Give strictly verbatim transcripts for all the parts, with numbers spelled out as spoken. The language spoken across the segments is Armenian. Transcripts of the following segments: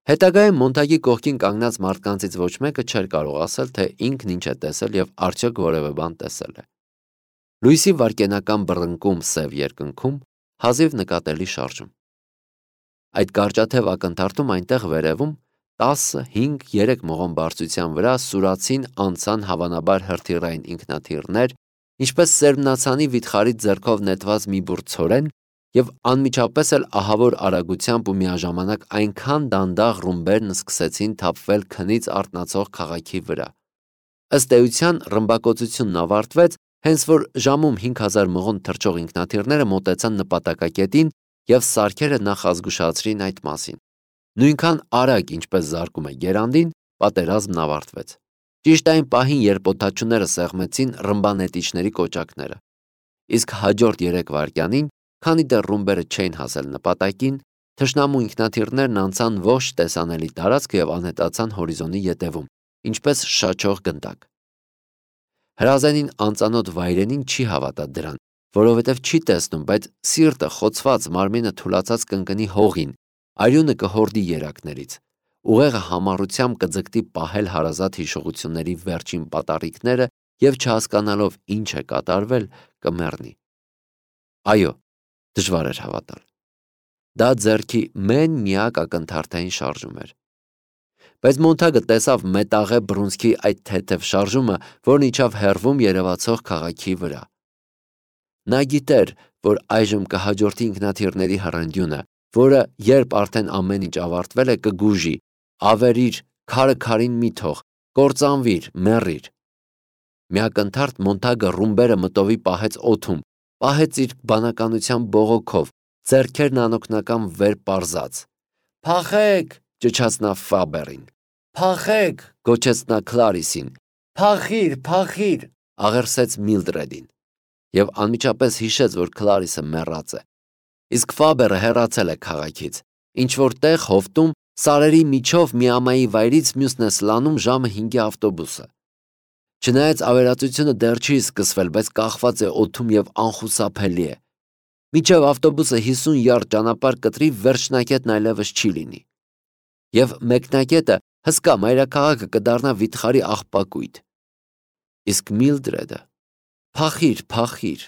Հետագայում Մոնտագի կողքին կանգնած մարդկանցից ոչ մեկը չէր կարող ասել, թե ինքն ինչ է տեսել եւ արդյոք որևէ բան տեսել է։ Լույսի վարկենական բռնկում սև երկնքում հազիվ նկատելի շարժում։ Այդ կարճաթև ակնթարթում այնտեղ վերևում տասը, հինգ, երեք մղոն բարձրության վրա սուրացին անցան հավանաբար հրթիռային ինքնաթիռներ, ինչպես սերմնացանի վիթխարից ձեռքով նետված մի բուռ ցորեն, եւ անմիջապես էլ ահավոր արագությամբ ու միաժամանակ այնքան դանդաղ ռումբերն սկսեցին թափվել քնից արթնացող քաղաքի վրա։ Ըստ էության ռմբակոծությունն ավարտվեց, հենց որ ժամում հինգ հազար մղոն թռչող ինքնաթիռները մոտեցան նպատակակետին եւ սարքերը նախազգուշացրին այդ մասին։ Նույնքան արագ, ինչպես զարկում է գերանդին, պատերազմն ավարտվեց։ Ճիշտ այն պահին, երբ օդաչուները սեղմեցին ռմբանետիչների կոճակները։ Իսկ հաջորդ երեք վայրկյանին, քանի դեռ ռումբերը չէին հասել նպատակին, թշնամու ինքնաթիռներն անցան ողջ տեսանելի տարածքը եւ անհետացան հորիզոնի ետևում, ինչպես շաչող գնդակ։ Հրազենին անծանոթ վայրենին չի հավատա դրան, որովհետև չի տեսնում, բայց սիրտը խոցված, մարմինը թուլացած կընկնի հողին, արյունը կհորդի երակներից, ուղեղը համառությամբ կձգտի պահել հարազատ հիշողությունների վերջին պատառիկները եւ չհասկանալով ինչ է կատարվել, կմեռնի։ Այո, դժվար էր հավատալ։ Դա ձեռքի մեն միակ ակնթարթային շարժում էր։ Բայց Մոնտագը տեսավ մետաղե բռունցքի այդ թեթև շարժումը, որն իջավ հեռվում երևացող քաղաքի վրա։ Նա գիտեր, որ այժմ կհաջորդի ինքնաթիռների հռնդյունը, որը, երբ արդեն ամեն ինչ ավարտվել է, կգուժի. ավերիր, քարը քարին մի թող, կործանվիր, մեռիր։ Միակնթարթ Մոնտագը ռումբերը մտովի պահեց օդում, պահեց իր բանականության բողոքով, ձեռքերն անօգնական վեր պարզած։ «Փախեք», ճչաց նա Ֆաբերին։ «Փախեք», գոչեց նա Քլարիսին։ «Փախիր, փախիր», աղերսեց Միլդրեդին։ Եվ անմիջապես հիշեց, որ Քլարիսը մեռած է։ Իսկ Ֆաբերը հեռացել է քաղաքից, ինչ-որ տեղ հովտում, սարերի միջով միամայի վայրից մյուսն է սլանում ժամը հինգի ավտոբուսը։ Չնայած ավերածությունը դեռ չի սկսվել, բայց կախված է օդում եւ անխուսափելի է։ Մինչև ավտոբուսը հիսուն յարդ ճանապարհ կտրի, վերջնակետն այլևս չի լինի։ Եվ մեկնակետը հսկա մայրաքաղաքը կդառնա վիթխարի աղբակույտ։ Իսկ Միլդրեդը… Փախիր, փախիր։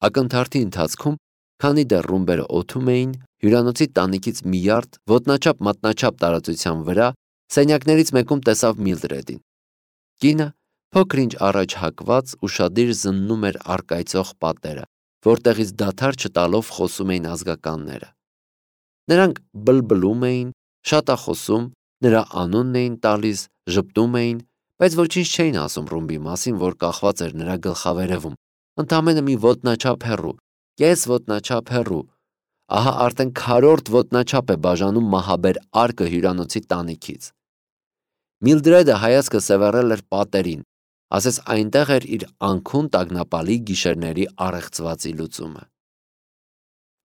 Ակնթարթի ընթացքում, քանի դեռ ռումբերը օդում էին, հյուրանոցի տանիքից մի յարդ ոտնաչափ մատնաչափ տարածության վրա, սենյակներից մեկում տեսավ Միլդրեդին։ Կինը փոքր-ինչ առաջ հակված ուշադիր զննում էր առկայծող պատերը, որտեղից դադար չտալով խոսում էին ազգականները։ Նրանք բլբլում էին, շատախոսում, նրա անունն էին տալիս, ժպտում էին, բայց ոչինչ չէին ասում ռումբի մասին, որ կախված էր նրա գլխավերևում, ընդամենը մի ոտնաչափ հեռու, կես ոտնաչափ հեռու։ Ահա արդեն քառորդ ոտնաչափ է բաժանում մահաբեր արկը հյուրանոցի տանիքից։ Միլդրեդը հայացքը սևեռել էր պատերին, ասես այնտեղ էր իր անքուն տագնապալի գիշերների առեղծվածի լուծումը։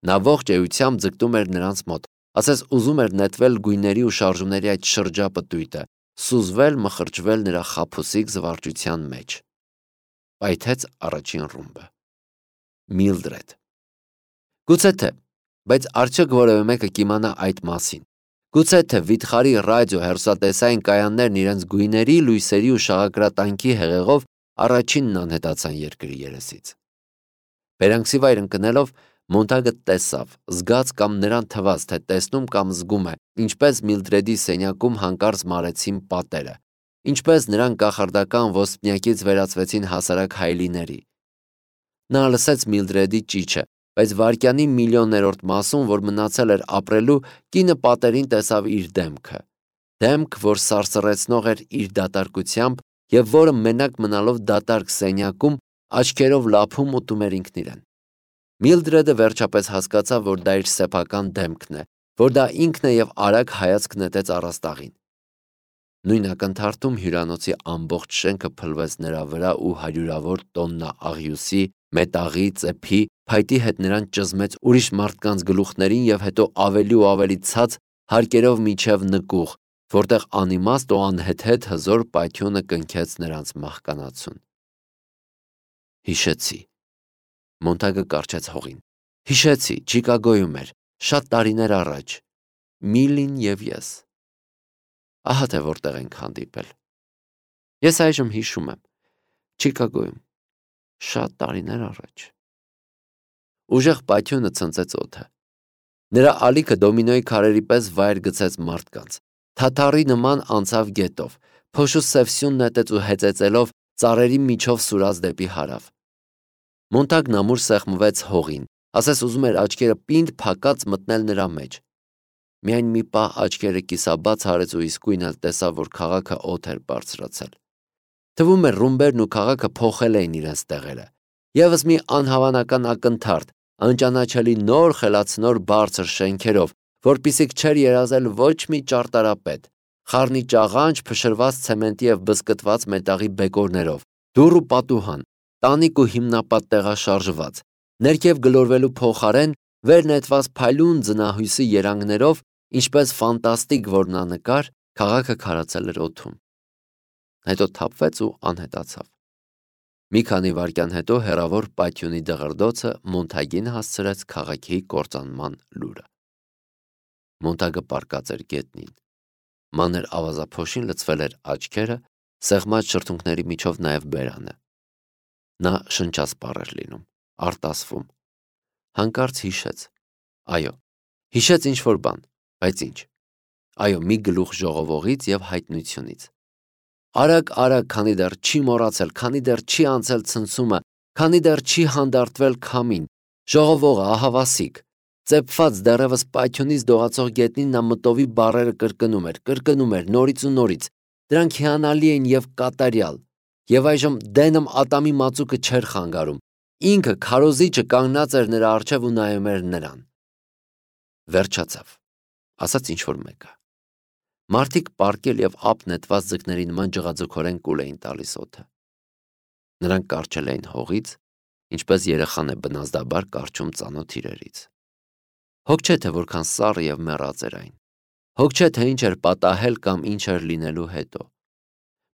Նա ողջ էությամբ ձգտում էր նրանց մոտ, ասես ուզում էր նետվել գույների ու շարժումների այդ շրջապտույտը, սուզվել, մխրճվել նրա խաբուսիկ զվարճության մեջ։ Պայթեց առաջին ռումբը։ Միլդրեդ։ Գուցե թե, բայց արդյոք որևէ մեկը կիմանա այդ մասին։ Գուցե թե վիթխարի ռադիո հեռուստատեսային կայաններն իրենց գույների, լույսերի ու շաղակրատանքի հեղեղով առաջինն անհետացան երկրի երեսից։ Բերանքսի վայր ընկնելով Մոնտագը տեսավ, զգաց կամ նրան թվաց, թե տեսնում կամ զգում է, ինչպես Միլդրեդի սենյակում հանկարծ մարեցին պատերը, ինչպես նրան կախարդական ոսպնյակից վերածվեցին հասարակ հայելիների։ Նա լսեց Միլդրեդի ճիչը, բայց վայրկյանի միլիոններորդ մասում, որ մնացել էր ապրելու, կինը պատերին տեսավ իր դեմքը։ Դեմք, որ սարսռեցնող էր իր դատարկությամբ եւ որը մենակ մնալով դատարկ սենյակում աչքերով լափում ուտում էր ինքն իրեն։ Միլդրեդը վերջապես հասկացավ, որ դա իր սեփական դեմքն է, որ դա ինքն է եւ արագ հայացք նետեց առաստաղին։ Նույն ակնթարթում հյուրանոցի ամբողջ շենքը փլվեց նրա վրա ու հարյուրավոր տոննա աղյուսի, մետաղի, ծեփի, փայտի հետ նրան ճզմեց ուրիշ մարդկանց գլուխներին եւ հետո ավելի ու ավելի ցած հարկերով միջև նկուղ, որտեղ անիմաստ ու անհեթեթ հզոր պայթյունը կնքեց նրանց մահկանացուն։ Հիշեցի։ Մոնտագը կառչեց հողին։ Հիշեցի, Չիկագոյում էր, շատ տարիներ առաջ։ Միլին և ես։ Ահա թե որտեղ ենք հանդիպել։ Ես այժմ հիշում եմ, Չիկագոյում, շատ տարիներ առաջ։ Ուժեղ պայթյունը ցնցեց օդը։ Նրա ալիքը դոմինոյի քարերի պես վայր գցեց մարդկանց։ Թաթարի նման անցավ գետով, փոշու սև սյուն նետեց ու հեծեծելով ծառերի միջով սուրաց դեպի հարավ։ Մոնտագն ամուր սեղմվեց հողին, ասես ուզում էր աչքերը պինդ փակած մտնել նրա մեջ։ Միայն մի պահ աչքերը կիսաբաց արեց ու իսկույն էլ տեսավ, որ քաղաքը օդ էր բարձրացել։ Թվում էր ռումբերն ու քաղաքը փոխել էին իրենց տեղերը։ Եվս մի անհավանական ակնթարթ, անճանաչելի նոր խելացնոր բարձր շենքերով, որպիսիք չէր երազել ոչ մի ճարտարապետ, խառնի ճաղանճ փշրված ցեմենտի և բզկտված մետաղի բեկորներով, դուռ ու պատուհան, տանիք ու հիմնապատ տեղաշարժված, ներքև գլորվելու փոխարեն վեր նետված փայլուն ձնահույսի երանգներով, ինչպես ֆանտաստիկ որմնանկար, քաղաքը քարացել էր օդում։ Հետո թափվեց ու անհետացավ։ Մի քանի վայրկյան հետո հեռավոր պայթյունի դղրդոցը Մոնտագին հասցրեց քաղաքի կործանման լուրը։ Մոնտագը պառկած էր գետնին։ Մանր ավազափոշին լցվել էր աչքերը, սեղմած շրթունքների միջով նաև բերանը։ Նա շնչասպառ էր լինում, արտասվում։ Հանկարծ հիշեց։ Այո, հիշեց ինչ-որ բան, բայց ինչ։ Այո, մի գլուխ ժողովողից և հայտնությունից։ Արագ, արագ, քանի դեռ չի մոռացել, քանի դեռ չի անցել ցնցումը, քանի դեռ չի հանդարտվել քամին, ժողովողը, ահավասիկ, ծեփված դեռևս պայթյունից դողացող գետնին նա մտովի բառերը կրկնում էր, կրկնում էր նորից ու նորից, դրանք հիանալի էին և կատարյալ, և այժմ դենմ ատամի մածուկը չէր խանգարում, ինքը քարոզիչը կանգնած էր նրա առջև ու նայում էր նրան։ Վերջացավ, ասաց ինչ-որ մեկը։ Մարդիկ պառկել և ափ նետված ձկների նման ջղաձգորեն կուլ էին տալիս օդը։ Նրանք կառչել էին հողից, ինչպես երեխան է բնազդաբար կառչում ծանոթ իրերից։ Հոգ չէ, թե որքան սառը և մեռած էր այն։ Հոգ չէ, թե ինչ էր պատահել կամ ինչ էր լինելու հետո։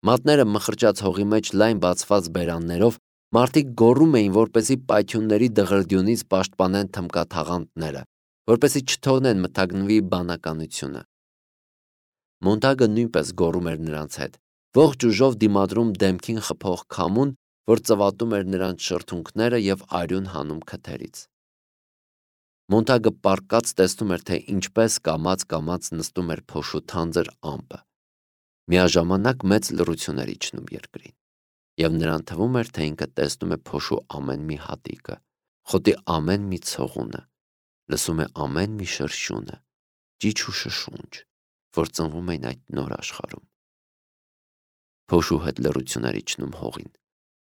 Մատները մխրճած հողի մեջ լայն բացված բերաններով մարդիկ գոռում էին, որպեսզի պայթյունների դղրդյունից պաշտպանեն թմկաթաղանթները, որպեսզի չթողնեն մթագնվի բանականությունը։ Մոնտագը նույնպես գոռում էր նրանց հետ, ողջ ուժով դիմադրում դեմքին խփող քամուն, որ ծվատում էր նրանց շրթունքները և արյուն հանում քթերից։ Մոնտագը պառկած տեսնում էր, թե ինչպես կամաց-կամաց նստում էր փոշու թանձր ամպը։ Միաժամանակ մեծ լռություն էր իջնում երկրին, և նրան թվում էր, թե ինքը տեսնում է փոշու ամեն մի հատիկը, խոտի ամեն մի ցողունը, լսում է ամեն մի շրշյունը, ճիչ ու շշունջ, որ ծնվում էին այդ նոր աշխարհում։ Փոշու հետ լռություն էր իջնում հողին,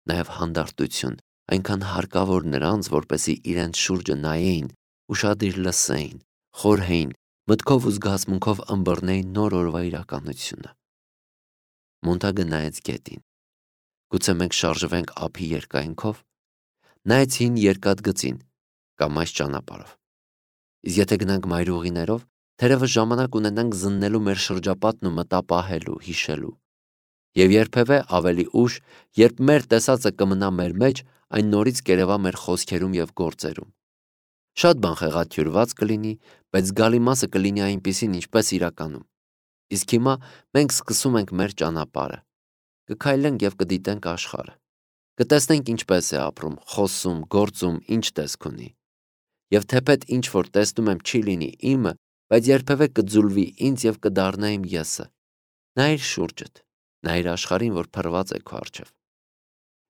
նաև հանդարտություն, այնքան հարկավոր նրանց, որպեսզի իրենց շուրջը նայեին, ուշադիր լսեին, խորհեին, մտքով ու զգացմունքով ըմբռնեին նոր օրվա իրականությունը։ Մոնտագը նայեց գետին։ Գուցե մենք շարժվենք ափի երկայնքով, նայեց հին երկաթգծին կամ այս ճանապարհով։ Իսկ եթե գնանք մայրուղիներով, թերևս ժամանակ ունենանք զննելու մեր շրջապատն ու մտապահելու, հիշելու։ Եվ երբևէ ավելի ուշ, երբ մեր տեսածը կմնա մեր մեջ, այն նորից կերևա մեր խոսքերում և գործերում։ Շատ բան խեղաթյուրված կլինի, բայց զգալի մասը կլինի այնպիսին, ինչպես իրականում։ Իսկ հիմա մենք սկսում ենք մեր ճանապարհը։ Կքայլենք և կդիտենք աշխարհը։ Կտեսնենք ինչպես է ապրում, խոսում, գործում, ինչ տեսք ունի։ Եվ թեպետ ինչ որ տեսնում եմ չի լինի իմը, բայց երբևէ կձուլվի ինձ և կդառնա իմ եսը։ Նայիր շուրջդ, նայիր աշխարհին, որ փռված է քո առջև։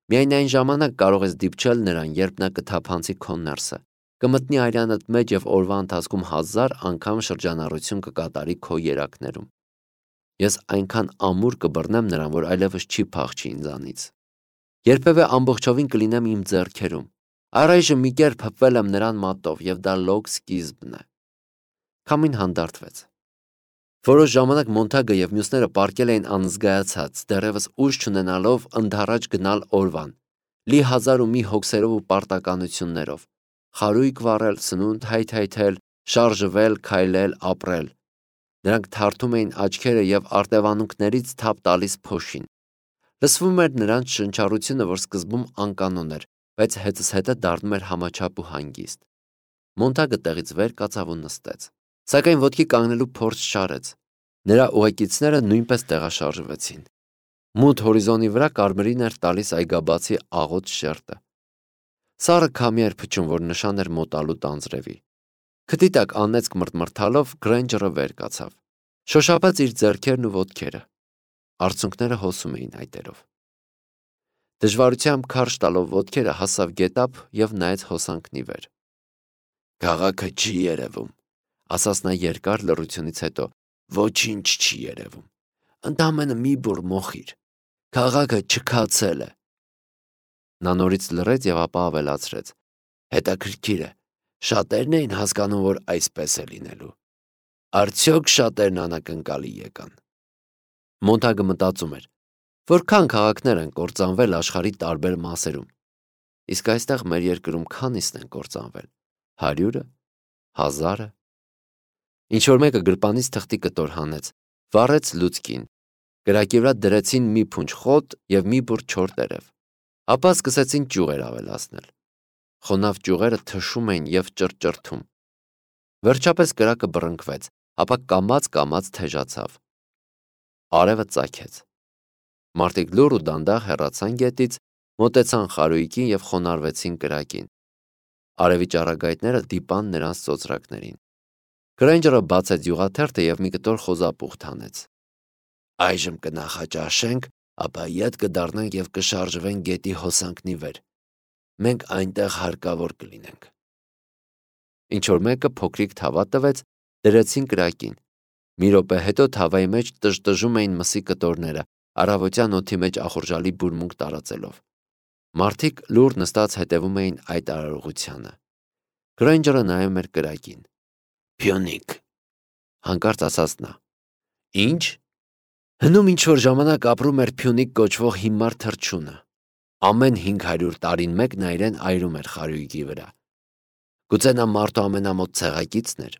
Միայն այն ժամանակ կարող ես դիպչել նրան, երբ նա կթափանցի քո ներսը, կմտնի արյանդ մեջ և օրվա ընթացքում հազար անգամ շրջանառություն կկատարի քո երակներում։ Ես այնքան ամուր կբռնեմ նրան, որ այլևս չի փախչի ինձանից։ Երբևէ ամբողջովին կլինեմ իմ ձեռքերում։ Առայժմ մի կերպ հպվել եմ նրան մատով, և դա լոկ սկիզբն է։ Քամին հանդարտվեց։ Որոշ ժամանակ Մոնտագը և մյուսները պառկել էին անզգայացած, դեռևս ուժ չունենալով ընդառաջ գնալ օրվան, լի հազար ու մի հոգսերով ու պարտականություններով, խարույկ վառել, սնունդ հայթայթել, շարժվել, քայլել, ապրել։ Նրանք թարթում էին աչքերը և արտևանունքներից թափ տալիս փոշին։ Լսվում էր նրանց շնչառությունը, որ սկզբում անկանոն էր, բայց հետզհետե դառնում էր համաչափ ու հանգիստ։ Մոնտագը տեղից վեր կացավ ու նստեց։ Սակայն ոտքի կանգնելու փորձ չարեց։ Նրա ուղեկիցները նույնպես տեղաշարժվեցին։ Մութ հորիզոնի վրա կարմիրին էր տալիս այգաբացի աղոտ շերտը։ Սառը քամի էր փչում, որ նշան էր մոտալու տանձրևի։ Քթի տակ անեծք մրթմրթալով Գրեյնջերը վեր կացավ։ Շոշափեց իր ձեռքերն ու ոտքերը։ Արցունքները հոսում էին այտերով։ Դժվարությամբ քարշ տալով ոտքերը հասավ գետափ և նայեց հոսանքն ի վեր։ «Քաղաքը չի երևում», ասաց նա երկար լռությունից հետո։ «Ոչինչ չի երևում։ Ընդամենը մի բուռ մոխիր։ Քաղաքը չքացել է»։ Նա նորից լռեց և ապա ավելացրեց. «Հետաքրքիր է, շատերն էին հասկանում, որ այսպես է լինելու։ Արդյոք շատերն անակնկալի եկան»։ Մոնտագը մտածում էր. որքան քաղաքներ են կործանվել աշխարհի տարբեր մասերում, իսկ այստեղ մեր երկրում քանիսն են կործանվել, հարյուրը, հազարը։ Ինչ-որ մեկը գրպանից թղթի կտոր հանեց, վառեց լուցկին, կրակի վրա դրեցին մի փունջ խոտ և մի բուռ չոր տերև, ապա սկսեցին ճյուղեր ավելացնել։ Խոնավ ճյուղերը թշում էին և ճռճռթում։ Վերջապես կրակը բռնկվեց, ապա կամաց-կամաց թեժացավ։ Արևը ծագեց։ Մարդիկ լուռ ու դանդաղ հեռացան գետից, մոտեցան խարույկին և խոնարհվեցին կրակին։ Արևի ճառագայթները դիպան նրանց ծոծրակներին։ Գրեյնջերը բացեց յուղաթերթը և մի կտոր խոզապուխտ հանեց։ «Այժմ կնախաճաշենք, ապա ետ կդառնանք և կշարժվենք գետի հոսանքն ի վեր։ Մենք այնտեղ հարկավոր կլինենք»։ Ինչ-որ մեկը փոքրիկ թավա տվեց, դրեցին կրակին։ Մի րոպե հետո թավայի մեջ տժտժում էին մսի կտորները, առավոտյան օդի մեջ ախորժալի բուրմունք տարածելով։ Մարդիկ լուռ նստած հետևում էին այդ արարողությանը։ Գրեյնջերը նայում էր կրակին։ «Փյունիկ», հանկարծ ասաց նա։ «Ի՞նչ»։ «Հնում ինչ-որ ժամանակ ապրում էր Փյունիկ կոչվող հիմար թռչունը։ Ամեն հինգ հարյուր տարին մեկ նա իրեն այրում էր խարույկի վրա։ Գուցե նա մարդու ամենամոտ ցեղակիցն էր։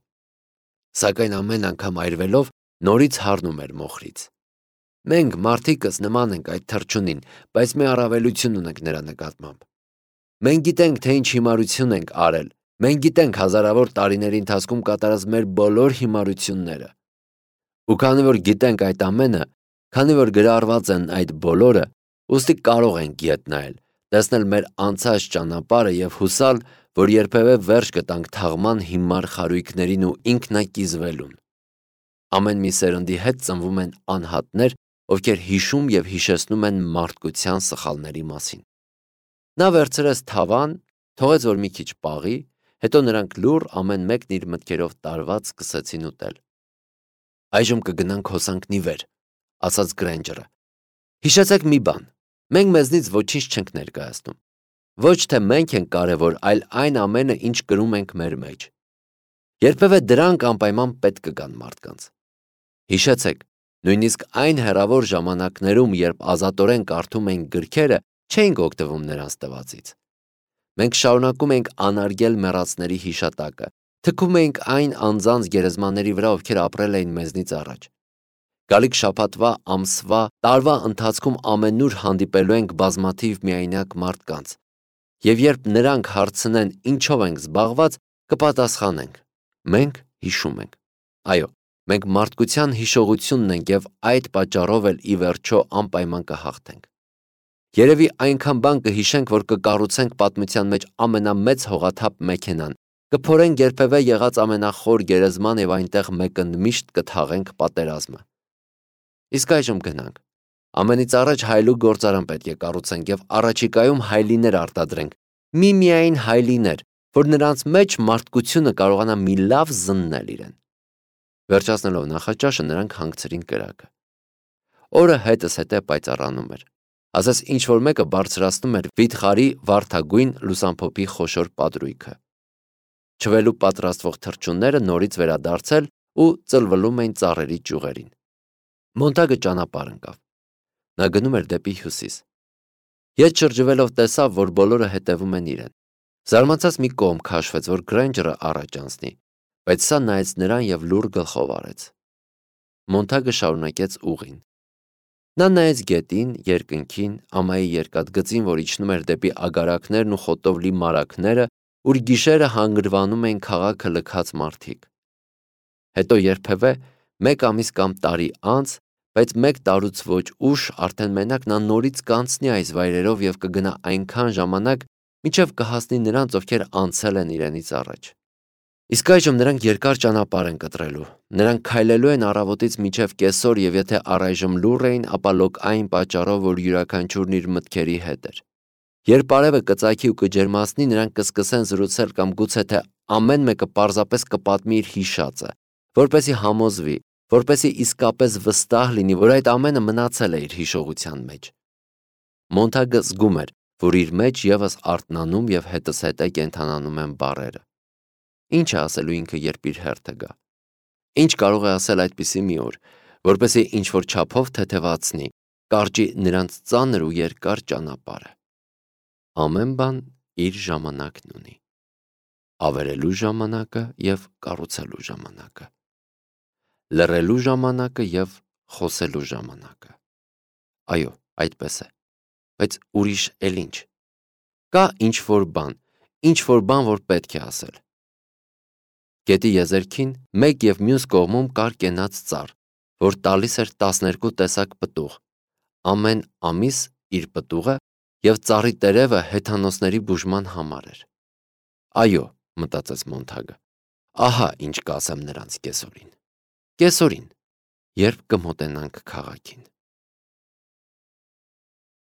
Սակայն ամեն անգամ այրվելով նորից հառնում էր մոխրից։ Մենք մարդիկս նման ենք այդ թռչունին, բայց մի առավելություն ունենք նրա նկատմամբ։ Մենք գիտենք, թե ինչ հիմարություն ենք արել, մենք գիտենք հազարավոր տարիների ընթացքում կատարած մեր բոլոր հիմարությունները։ Ու քանի որ գիտենք այդ ամենը, քանի որ գրառված են այդ բոլորը, ուստի կարող ենք ետ նայել, տեսնել մեր անցած ճանապարհը և հուսալ, որ երբևէ վերջ կտանք թաղման հիմար խարույկներին ու ինքնակիզվելուն։ Ամեն մի սերնդի հետ ծնվում են անհատներ, ովքեր հիշում և հիշեցնում են մարդկության սխալների մասին»։ Նա վերցրեց թավան, թողեց, որ մի քիչ պաղի, հետո նրանք լուռ ամեն մեկն իր մտքերով տարված սկսեցին ուտել։ «Այժմ կգնանք հոսանքն ի վեր», ասաց Գրեյնջերը։ «Հիշեցեք մի բան. մենք մեզնից ոչինչ չենք ներկայացնում։ Ոչ թե մենք ենք կարևոր, այլ այն ամենը, ինչ կրում ենք մեր մեջ։ Երբևէ դրանք անպայման պետք կգան մարդկանց։ Հիշեցեք, նույնիսկ այն հեռավոր ժամանակներում, երբ ազատորեն կարդում էինք գրքերը, չէինք օգտվում նրանց տվածից։ Մենք շարունակում էինք անարգել մեռածների հիշատակը, թքում էինք այն անձանց գերեզմանների վրա, ովքեր ապրել էին մեզնից առաջ։ Գալիք շաբաթվա, ամսվա, տարվա ընթացքում ամենուր հանդիպելու ենք բազմաթիվ միայնակ մարդկանց, և երբ նրանք հարցնեն ինչով ենք զբաղված, կպատասխանենք. մենք հիշում ենք։ Այո, մենք մարդկության հիշողությունն ենք և այդ պատճառով էլ ի վերջո անպայման կհաղթենք։ Երևի այնքան բան կհիշենք, որ կկառուցենք պատմության մեջ ամենամեծ հողաթափ մեքենան, կփորենք երբևէ եղած ամենախոր գերեզման և այնտեղ մեկընդմիշտ կթաղենք պատերազմը։ Իսկ այժմ գնանք։ Ամենից առաջ հայելու գործարան պետք է կառուցենք և առաջիկայում հայլիներ արտադրենք, միմիայն հայլիներ, որ նրանց մեջ մարդկությունը կարողանա մի լավ զննել իրեն։ Վերջացնելով նախաճաշը նրանք հանգցրին կրակը։ Օրը հետզհետե պայծառանում էր։ Ասես ինչ-որ մեկը բարձրացնում էր վիթխարի վարդագույն լուսամփոփի խոշոր պատրույգը։ Չվելու պատրաստվող թռչունները նորից վերադարձել ու ծլվլում էին ծառերի ճյուղերին։ Մոնտագը ճանապարհ ընկավ։ Նա գնում էր դեպի հյուսիս։ Ետ շրջվելով տեսավ, որ բոլորը հետևում են իրեն։ Զարմացած մի կողմ քաշվեց, որ Գրեյնջերը առաջ անցնի, բայց սա նայեց նրան և լուռ գլխով արեց։ Մոնտագը շարունակեց ուղին։ Նա նայեց գետին, երկնքին, ամայի երկաթգծին, որ իջնում էր դեպի ագարակներն ու խոտով լի մարագները, ուր գիշերը հանգրվանում էին քաղաքը լքած մարդիկ։ Հետո երբևէ մեկ ամիս կամ տարի անց, բայց մեկ տարուց ոչ ուշ արդեն մենակ նա նորից կանցնի այս վայրերով և կգնա այնքան ժամանակ, մինչև կհասնի նրանց, ովքեր անցել են իրենից առաջ։ Իսկ այժմ նրանք երկար ճանապարհ են կտրելու, նրանք քայլելու են առավոտից մինչև կեսօր և եթե առայժմ լուռ էին, ապա լոկ այն պատճառով, որ յուրաքանչյուրն իր մտքերի հետ էր։ Երբ արևը կծագի ու կջերմացնի, նրանք կսկսեն զրուցել կամ գուցե թե ամեն մեկը պարզապես կպատմի իր հիշածը, որպեսզի համոզվի, որպեսզի իսկապես վստահ լինի, որ այդ ամենը մնացել է իր հիշողության մեջ։ Մոնթագը զգում էր, որ իր մեջ ևս արթնանում և հետզհետե կենդանանում են բառերը։ Ինչ է ասելու ինքը, երբ իր հերթը գա։ Ինչ կարող է ասել այդպիսի մի օր, որպեսզի ինչ-որ չափով թեթևացնի, կարճի նրանց ծանր ու երկար ճանապարհը։ Ամեն բան իր ժամանակն ունի։ Ավերելու ժամանակը և կառուցելու ժամանակը։ Լռելու ժամանակը և խոսելու ժամանակը։ Այո, այդպես է։ Բայց ուրիշ էլ ինչ։ Կա ինչ-որ բան, ինչ-որ բան, որ պետք է ասել։ Գետի եզերքին մեկ և մյուս կողմում կար կենաց ծառ, որ տալիս էր տասներկու տեսակ պտուղ, ամեն ամիս իր պտուղը, և ծառի տերևը հեթանոսների բուժման համար էր։ Այո, մտածեց Մոնթագը, ահա ինչ կասեմ նրանց կեսօրին։ Կեսօրին, երբ կմոտենանք քաղաքին։